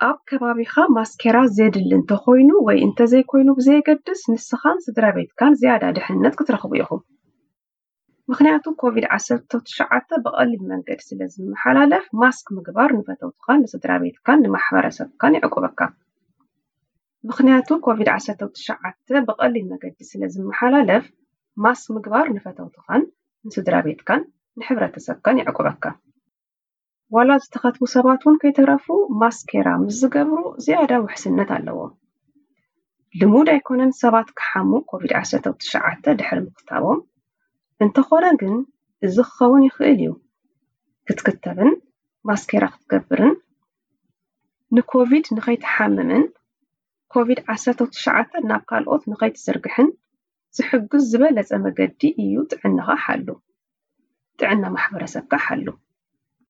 ኣብ ከባቢኻ ማስኬራ ዘድሊ እንተኾይኑ ወይ እንተዘይኮይኑ ብዘየገድስ፣ ንስኻን ስድራ ቤትካን ዝያዳ ድሕነት ክትረኽቡ ኢኹም። ምኽንያቱ ኮቪድ ዓሰርተ ትሽዓተ ብቐሊል መንገዲ ስለ ዝመሓላለፍ፣ ማስክ ምግባር ንፈተውትኻን ንስድራ ቤትካን ንማሕበረሰብካን ይዕቁበካ። ምኽንያቱ ኮቪድ ዓሰርተ ትሽዓተ ብቐሊል መገዲ ስለ ዝመሓላለፍ፣ ማስክ ምግባር ንፈተውትኻን ንስድራ ቤትካን ንሕብረተሰብካን ይዕቁበካ። ዋላ ዝተኸትቡ ሰባት እውን ከይተረፉ ማስኬራ ምስ ዝገብሩ ዝያዳ ውሕስነት ኣለዎም። ልሙድ ኣይኮነን ሰባት ክሓሙ ኮቪድ ዓሰርተ ትሽዓተ ድሕሪ ምኽታቦም። እንተኾነ ግን እዚ ክኸውን ይኽእል እዩ። ክትክተብን ማስኬራ ክትገብርን ንኮቪድ ንኸይትሓምምን ኮቪድ ዓሰርተ ትሽዓተ ናብ ካልኦት ንኸይትዝርግሕን ዝሕግዝ ዝበለጸ መገዲ እዩ። ጥዕናኻ ሓሉ። ጥዕና ማሕበረሰብካ ሓሉ።